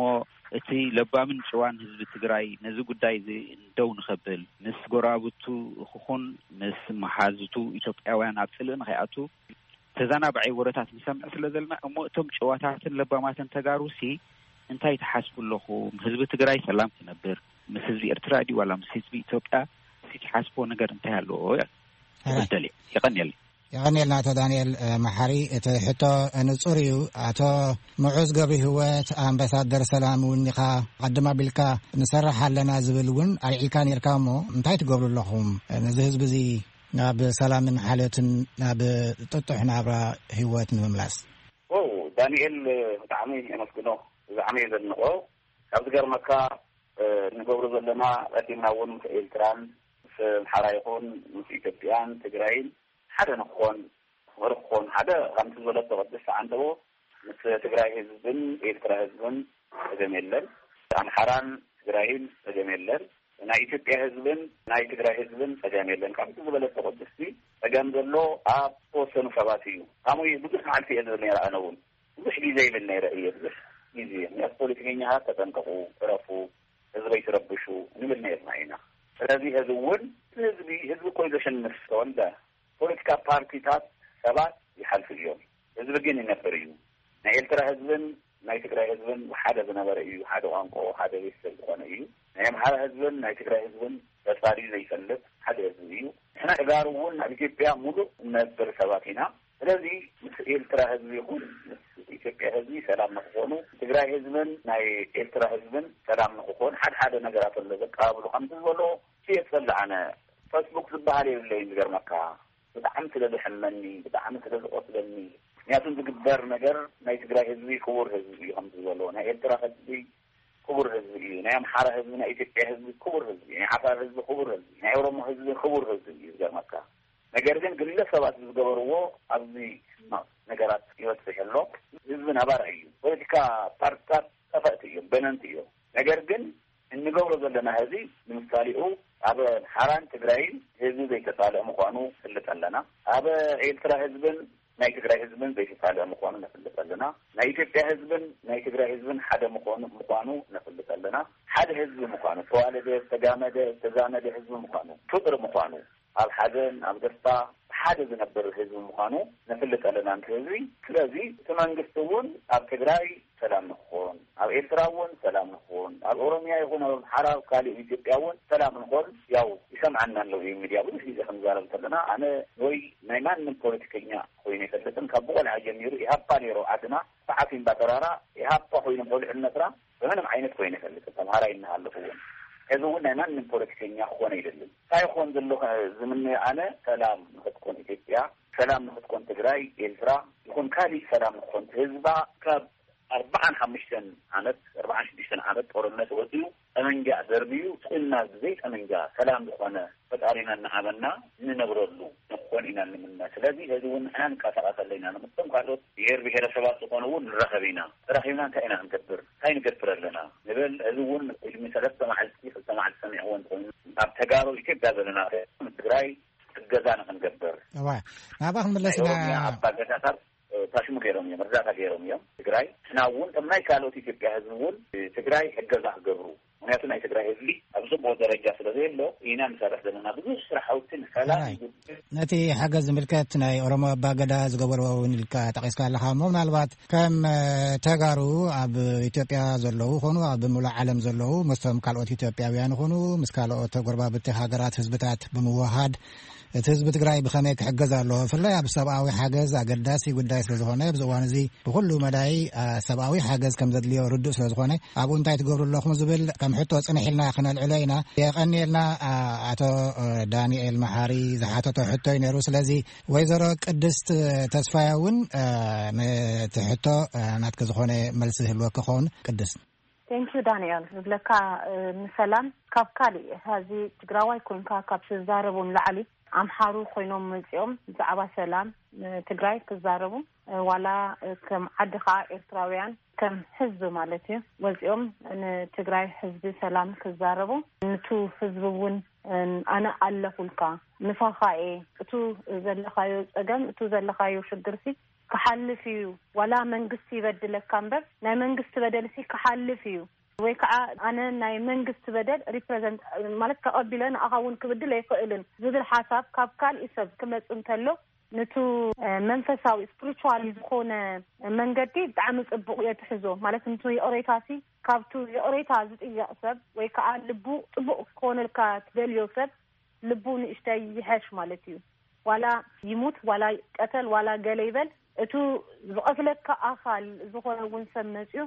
እቲ ለባምን ጭዋን ህዝቢ ትግራይ ነዚ ጉዳይ እዚ ደው ንኸብል፣ ምስ ጎረባብቱ ክኹን ምስ መሓዙቱ ኢትዮጵያውያን ኣብ ጽልኢ ንኸይኣቱ ተዘናባዒ ወረታት ንሰምዕ ስለ ዘለና፣ እሞ እቶም ጭዋታትን ለባማትን ተጋሩሲ እንታይ ትሓስቡ ኣለኹም? ህዝቢ ትግራይ ሰላም ክነብር ምስ ህዝቢ ኤርትራ ድዩ ዋላ ምስ ህዝቢ ኢትዮጵያ? እስኪ ትሓስብዎ ነገር እንታይ ኣለዎ? ሕራይ። ይበደል እየ። የቐንየለይ። የቐንየልና ኣቶ ዳንኤል፣ እ፣ መሓሪ። እቲ ሕቶ ንጹር እዩ። ኣቶ ምዑዝ ገብረ ህይወት፣ ኣምባሳደር ሰላም እውን ኢኻ። ቀድም ኣቢልካ ንሰርሕ ኣለና ዝብል እውን ኣልዒልካ ነርካ እሞ እንታይ ትገብሩ ኣለኹም? ነዚ ህዝቢ እዚ ናብ ሰላምን ሓልዮትን ናብ ጥጡሕ ናብራ ህይወት ንምምላስ። ኦ፣ ዳንኤል ብጣዕሚ የመስግኖ፣ ብጣዕሚ እየ ዘድንቆ። ካብ ዝገርመካ፣ እ፣ ንገብሮ ዘለና ቀዲምና እውን ምስ ኤርትራን ምስ ኣምሓራ ይኹን ምስ ኢትዮጵያን ትግራይን ሓደ ንክኾን፣ ፍቕሪ ክኾን፣ ሓደ ከምቲ ዝበለቶ ቅድስቲ ዓንተቦ ምስ ትግራይ ህዝብን ኤርትራ ህዝብን ጸገም የለን። ኣምሓራን ትግራይን ጸገም የለን። ናይ ኢትዮጵያ ህዝብን ናይ ትግራይ ህዝብን ጸገም የለን። ከምቲ ዝበለቶ ቅድስቲ ጸገም ዘሎ ኣብ ተወሰኑ ሰባት እዩ። ከምኡ ብዙሕ መዓልቲ እየ ዝብል ነይረ ኣነ እውን። ብዙሕ ግዜ ይብል ነይረ እየ። ብዙሕ ግዜ። ምክንያቱ ፖለቲከኛታት ተጠንቀቁ፣ እረፉ፣ ህዝበይ ትረብሹ ንብል ነይርና ኢና። ስለዚ ህዝቢ እውን፣ ህዝቢ፣ ህዝቢ እኮ እዩ ዘሸንፍ ተወልደ። ፖለቲካ ፓርቲታት ሰባት ይሓልፉ እዮም። ህዝቢ ግን ይነብር እዩ። ናይ ኤርትራ ህዝብን ናይ ትግራይ ህዝብን ሓደ ዝነበረ እዩ። ሓደ ቋንቋ፣ ሓደ ቤተሰብ ዝኾነ እዩ። ናይ ኣምሓራ ህዝብን ናይ ትግራይ ህዝብን ተጻልዩ ዘይፈልጥ ሓደ ህዝቢ እዩ። ንሕና ተጋሩ እውን ኣብ ኢትዮጵያ ሙሉእ እነብር ሰባት ኢና። ስለዚ ምስ ኤርትራ ህዝቢ ይኹን ምስ ኢትዮጵያ ህዝቢ ሰላም ንክኾኑ፣ ትግራይ ህዝብን ናይ ኤርትራ ህዝብን ሰላም ንክኾን ሓደ ሓደ ነገራት ኣሎ ዘቀባብሉ። ከምቲ ዝበሎ እሱ የጸልእ ኣነ ፌስቡክ ዝበሃል የብለይን። ዝገርመካ ብጣዕሚ ስለ ዘሕመኒ፣ ብጣዕሚ ስለ ዝቆስለኒ። ምክንያቱ ዝግበር ነገር ናይ ትግራይ ህዝቢ ክቡር ህዝቢ እዩ። ከምቲ ዝበሎ ናይ ኤርትራ ህዝቢ ክቡር ህዝቢ እዩ። ናይ ኣምሓራ ህዝቢ፣ ናይ ኢትዮጵያ ህዝቢ ክቡር ህዝቢ እዩ። ናይ ዓፋር ህዝቢ ክቡር ህዝቢ እዩ። ናይ ኦሮሞ ህዝቢ ክቡር ህዝቢ እዩ። ዝገርመካ ነገር ግን ግለሰባት ዝገበርዎ ኣብዚ ሕማቕ ነገራት ይበፅሕ ኣሎ። ህዝቢ ነባራይ እዩ። ፖለቲካ ፓርቲታት ጠፈእቲ እዮም፣ በነንቲ እዮም። ነገር ግን እንገብሮ ዘለና ህዚ ንምሳሌኡ ኣብ ሓራን ትግራይን ህዝቢ ዘይተጻልአ ምዃኑ ንፈልጥ ኣለና። ኣብ ኤርትራ ህዝብን ናይ ትግራይ ህዝብን ዘይተጻልአ ምዃኑ ነፍልጥ ኣለና። ናይ ኢትዮጵያ ህዝብን ናይ ትግራይ ህዝብን ሓደ ምዃኑ፣ ምዃኑ ነፍልጥ ኣለና። ሓደ ህዝቢ ምዃኑ፣ ዝተዋለደ፣ ዝተጋመደ፣ ዝተዛመደ ህዝቢ ምዃኑ፣ ፍቕሪ ምዃኑ፣ ኣብ ሓዘን፣ ኣብ ደስታ ሓደ ዝነብር ህዝቢ ምዃኑ ነፍልጥ ኣለና፣ ነቲ ህዝቢ። ስለዚ እቲ መንግስቲ እውን ኣብ ትግራይ ሰላም ንክኾን፣ ኣብ ኤርትራ እውን ሰላም ንክኾን፣ ኣብ ኦሮሚያ ይኹን ኣብ ኣምሓራ፣ ኣብ ካሊእ ኢትዮጵያ እውን ሰላም ንኾን፣ ያው ይሰምዓና ኣለዉ እዩ። ሚድያ ብዙሕ ግዜ ክንዛረብ ከለና ኣነ ወይ ናይ ማንም ፖለቲከኛ ኮይኑ ኣይፈልጥን። ካብ ብቆልዓ ጀሚሩ ኢሃፓ ነይሩ ዓድና፣ ሰዓት እምባ ተራራ ኢሃፓ ኮይኖም ቆልዑ ነብራ ብምንም ዓይነት ኮይኑ ኣይፈልጥን። ተምሃራይ እናሃለኹ እውን። ሕዚ እውን ናይ ማንም ፖለቲከኛ ክኾን ኣይደልን። እንታይ ይኾን ዘሎ ዝምነዮ ኣነ ሰላም ንክትኮን ኢትዮጵያ፣ ሰላም ንክትኮን ትግራይ፣ ኤርትራ ይኹን ካሊእ ሰላም ንክኾን ህዝባ ካብ ኣርባዓን ሓሙሽተን ዓመት፣ ኣርባዓን ሽዱሽተን ዓመት ጦርነት ወፂኡ ጠመንጃ ደርብዩ ስእና ብዘይ ጠመንጃ ሰላም ዝኾነ ፈጣሪና እናሃበና እንነብረሉ ንክኾን ኢና ንምነ። ስለዚ ሕዚ እውን ንሕና ንቀሳቀስ ኣለና። ንምስቶም ካልኦት ብሄር ብሄረሰባት ዝኾኑ እውን ንራኸብ ኢና። ተራኺብና እንታይ ኢና ክንገብር? እንታይ ንገብር ኣለና? ንብል። ሕዚ እውን ቅድሚ ሰለስተ መዓልቲ፣ ክልተ መዓልቲ ሰሚዕዎ እንተኾይኑ፣ ኣብ ተጋሩ ኢትዮጵያ ዘለና ትግራይ እገዛ ንክንገብር። እዋ፣ ናብኣ ክንምለስ ናይ ኢና። ኦሮምያ ኣባ ገዳታት፣ እ፣ ታሽሙ ገይሮም እዮም፣ እርዳታ ገይሮም እዮም። ትግራይ፣ ንሕና እውን ከም ናይ ካልኦት ኢትዮጵያ ህዝቢ እውን፣ እ፣ ትግራይ እገዛ ክገብሩ፣ ምክንያቱ ናይ ትግራይ ህዝቢ ኣብ ጽቡቅ ደረጃ ስለ ዘሎ ኢና ንሰርሕ ዘለና። ብዙሕ ስራሕ ሃውቲ ንሰላም ነቲ ሓገዝ ዝምልከት ናይ ኦሮሞ ኣባገዳ ዝገበርዎ እውን ኢልካ ጠቂስካ ኣለካ እሞ፣ ምናልባት ከም ተጋሩ ኣብ ኢትዮጵያ ዘለዉ ኾኑ ኣብ ሙሉእ ዓለም ዘለዉ ምስቶም ካልኦት ኢትዮጵያውያን ኾኑ ምስ ካልኦት ጎረባብቲ ሃገራት ህዝብታት ብምውሃድ እቲ ህዝቢ ትግራይ ብኸመይ ክሕገዝ ኣለዎ? ብፍላይ ኣብ ሰብኣዊ ሓገዝ ኣገዳሲ ጉዳይ ስለ ዝኾነ፣ ኣብዚ እዋን እዚ ብኹሉ መዳይ ሰብኣዊ ሓገዝ ከም ዘድልዮ ርዱእ ስለ ዝኾነ፣ ኣብኡ እንታይ ትገብሩ ኣለኹም ዝብል ከም ሕቶ ጽንሕ ኢልና ክነልዕሎ ኢና። የቐንየልና። ኣቶ ዳንኤል መሓሪ ዝሓተቶ ሕቶ እዩ ነይሩ። ስለዚ ወይዘሮ ቅድስት ተስፋያ እውን ነቲ ሕቶ ናትኪ ዝኾነ መልሲ ህልወኪ ክኸውን። ቅድስት። ቴንኪዩ ዳንኤል። ዝብለካ፣ ንሰላም ካብ ካሊእ፣ ሀዚ ትግራዋይ ኮንካ ካብ ትዛረቡ ንላዕሊ ኣምሓሩ ኮይኖም መፂኦም ብዛዕባ ሰላም ትግራይ ክዛረቡ፣ ዋላ ከም ዓዲ ከዓ ኤርትራውያን ከም ህዝቢ ማለት እዩ ወፂኦም ንትግራይ ህዝቢ ሰላም ክዛረቡ፣ ንቱ ህዝቢ እውን ኣነ ኣለኹልካ፣ ምሳኻ እየ፣ እቱ ዘለኻዮ ፀገም፣ እቱ ዘለኻዮ ሽግርሲ ክሓልፍ እዩ። ዋላ መንግስቲ ይበድለካ እምበር ናይ መንግስቲ በደልሲ ክሓልፍ እዩ። ወይ ከዓ ኣነ ናይ መንግስቲ በደል ሪፕረዘንት ማለት ተቐቢለ ንኣኻ እውን ክብድል ኣይኽእልን ዝብል ሓሳብ ካብ ካሊእ ሰብ ክመፅ እንተሎ፣ ንቱ መንፈሳዊ ስፕሪቹዋሊ ዝኾነ መንገዲ ብጣዕሚ ፅቡቕ እየ ትሕዞ። ማለት ንቱ ይቕሬታሲ ካብቱ ይቕሬታ ዝጥየቕ ሰብ ወይ ከዓ ልቡ ፅቡቕ ክኾነልካ ትደልዮ ሰብ ልቡ ንእሽተይ ይሐሽ ማለት እዩ። ዋላ ይሙት ዋላ ይቀተል ዋላ ገለ ይበል፣ እቱ ዝቐትለካ ኣኻል ዝኾነ እውን ሰብ መፅዩ፣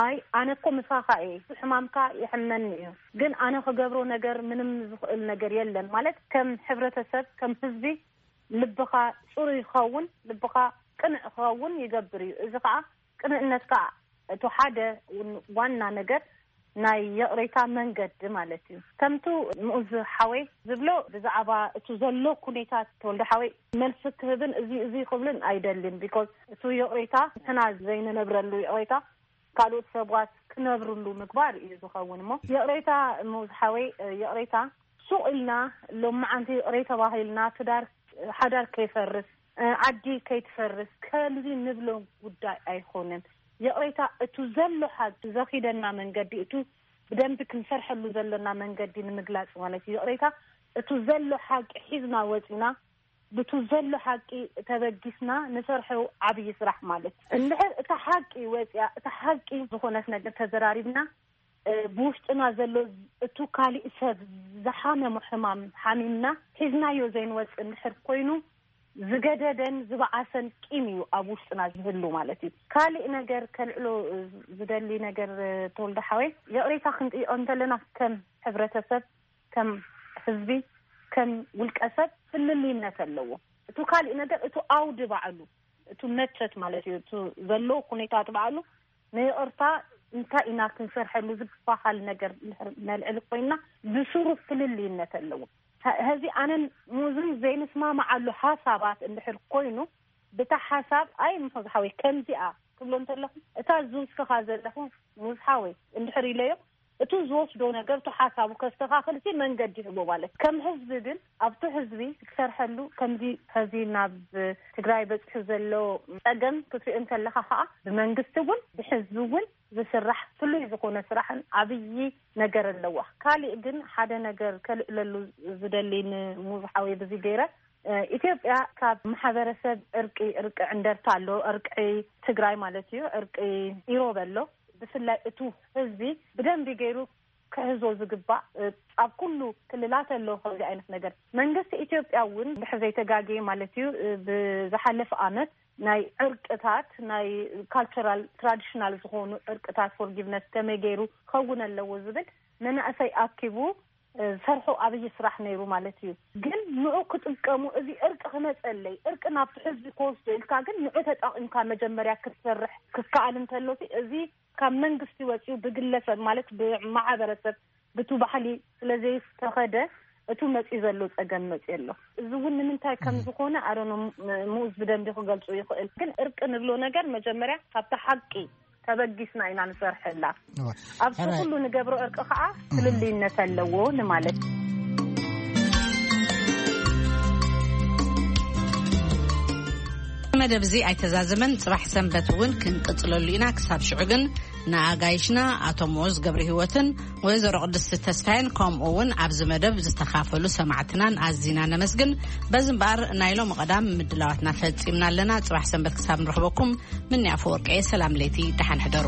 ኣይ ኣነ እኮ ምሳኻ እየ፣ ሕማምካ ይሕመኒ እዩ፣ ግን ኣነ ክገብሮ ነገር ምንም ዝኽእል ነገር የለን ማለት ከም ሕብረተሰብ ከም ህዝቢ ልብኻ ፅሩይ ክኸውን ልብኻ ቅንዕ ክኸውን ይገብር እዩ። እዚ ከዓ ቅንዕነትካ እቱ ሓደ ዋና ነገር ናይ ይቕሬታ መንገዲ ማለት እዩ። ከምቱ ምኡዝ ሓወይ ዝብሎ ብዛዕባ እቱ ዘሎ ኩኔታት ተወልደ ሓወይ መልሲ ክህብን እዚ እዚ ክብልን ኣይደልን። ቢኮዝ እቱ ይቕሬታ ንሕና ዘይንነብረሉ ይቕሬታ ካልኦት ሰባት ክነብርሉ ምግባር እዩ ዝኸውን። እሞ ይቕሬታ ምኡዝ ሓወይ ይቕሬታ ሱቕ ኢልና ሎማዓንቲ ይቕሬ ተባሂልና ትዳር ሓዳር ከይፈርስ ዓዲ ከይትፈርስ ከምዚ ንብሎ ጉዳይ ኣይኮነን። ይቕሬታ እቱ ዘሎ ሓቂ ዘኺደና መንገዲ እቱ ብደንቢ ክንሰርሐሉ ዘለና መንገዲ ንምግላፅ ማለት እዩ። ይቕሬታ እቱ ዘሎ ሓቂ ሒዝና ወፂና ብቱ ዘሎ ሓቂ ተበጊስና ንሰርሐው ዓብዪ ስራሕ ማለት እንድሕር እታ ሓቂ ወፂያ እታ ሓቂ ዝኾነት ነገር ተዘራሪብና ብውሽጥና ዘሎ እቱ ካሊእ ሰብ ዝሓመሞ ሕማም ሓሚምና ሒዝናዮ ዘይንወፅእ እንድሕር ኮይኑ ዝገደደን ዝበዓሰን ቂም እዩ ኣብ ውሽጥና ዝህሉ ማለት እዩ። ካሊእ ነገር ከልዕሎ ዝደሊ ነገር ተወልደ ሓወይ ይቕሬታ ክንጥይቆ እንተለና ከም ሕብረተሰብ ከም ህዝቢ ከም ውልቀ ሰብ ፍልልይነት ኣለዎ። እቱ ካሊእ ነገር እቱ ኣውዲ ባዕሉ እቱ መቸት ማለት እዩ። እቱ ዘሎ ኩነታት ባዕሉ ንይቕርታ እንታይ ኢና ክንሰርሐሉ ዝበሃል ነገር ነልዕል ኮይና ብስሩ ፍልልይነት ኣለዎ። ሀዚ ኣነን ሙዝን ዘይንስማማዓሉ ሓሳባት እንድሕር ኮይኑ ብታ ሓሳብ ኣይ ምዝሓወይ ከምዚኣ ክብሎ እንተለኹ እታ ዝውስኻ ዘለኹ ሙዝሓወይ እንድሕር ኢለዮ እቱ ዝወስዶ ነገር እቱ ሓሳቡ ከስተኻኽል ሲ መንገዲ ይህቦ ማለት ከም ህዝቢ ግን ኣብቱ ህዝቢ ክትሰርሐሉ ከምዚ ኸዚ ናብ ትግራይ በፂሑ ዘሎ ፀገም ክትሪኦ እንተለኻ ከዓ ብመንግስቲ እውን ብህዝቢ እውን ዝስራሕ ፍሉይ ዝኾነ ስራሕን ዓብዪ ነገር ኣለዋ። ካሊእ ግን ሓደ ነገር ከልዕለሉ ዝደሊ ንምዝሓወይ ብዚ ገይረ ኢትዮጵያ ካብ ማሕበረሰብ ዕርቂ ዕርቂ ዕንደርታ ኣሎ ዕርቂ ትግራይ ማለት እዩ ዕርቂ ኢሮብ ኣሎ ብፍላይ እቱ ህዝቢ ብደንቢ ገይሩ ክሕዞ ዝግባእ ኣብ ኩሉ ክልላት ኣሎ ከምዚ ዓይነት ነገር መንግስቲ ኢትዮጵያ እውን ድሕር ዘይተጋግየ ማለት እዩ ብዝሓለፈ ኣመት ናይ ዕርቅታት ናይ ካልቸራል ትራዲሽናል ዝኾኑ ዕርቅታት ፎርጊቭነስ ከመይ ገይሩ ክኸውን ኣለዎ ዝብል መናእሰይ ኣኪቡ ዝሰርሑ ኣብይ ስራሕ ነይሩ ማለት እዩ። ግን ንዑ ክጥቀሙ እዚ እርቂ ክመፀለይ እርቂ ናብቲ ሕዝቢ ክወስዶ ኢልካ ግን ንዑ ተጠቂምካ መጀመርያ ክትሰርሕ ክከኣል እንተሎ እዚ ካብ መንግስቲ ወፂኡ ብግለሰብ ማለት ብማሕበረሰብ ብቱ ባህሊ ስለዘይተኸደ እቱ መፂ ዘሎ ፀገም መፂ ኣሎ። እዚ እውን ንምንታይ ከም ዝኾነ ኣረኖ ምኡዝ ብደንቢ ክገልፁ ይኽእል። ግን እርቂ ንብሎ ነገር መጀመርያ ካብቲ ሓቂ ተበጊስና ኢና ንሰርሐላ። ኣብቲ ኩሉ ንገብሮ እርቂ ከዓ ፍልልይነት ኣለዎ ንማለት። መደብ እዚ ኣይተዛዘመን። ፅባሕ ሰንበት እውን ክንቅፅለሉ ኢና። ክሳብ ሽዑ ግን ንኣጋይሽና ኣቶ ሞዝ ገብረ ህይወትን ወይዘሮ ቅድስቲ ተስፋይን፣ ከምኡ እውን ኣብዚ መደብ ዝተኻፈሉ ሰማዕትናን ኣዚና ነመስግን። በዚ እምበኣር ናይ ሎሚ ቀዳም ምድላዋትና ፈጺምና ኣለና። ጽባሕ ሰንበት ክሳብ ንረኽበኩም፣ ምንያ ኣፈወርቀየ፣ ሰላም ለይቲ፣ ደሓን ሕደሩ።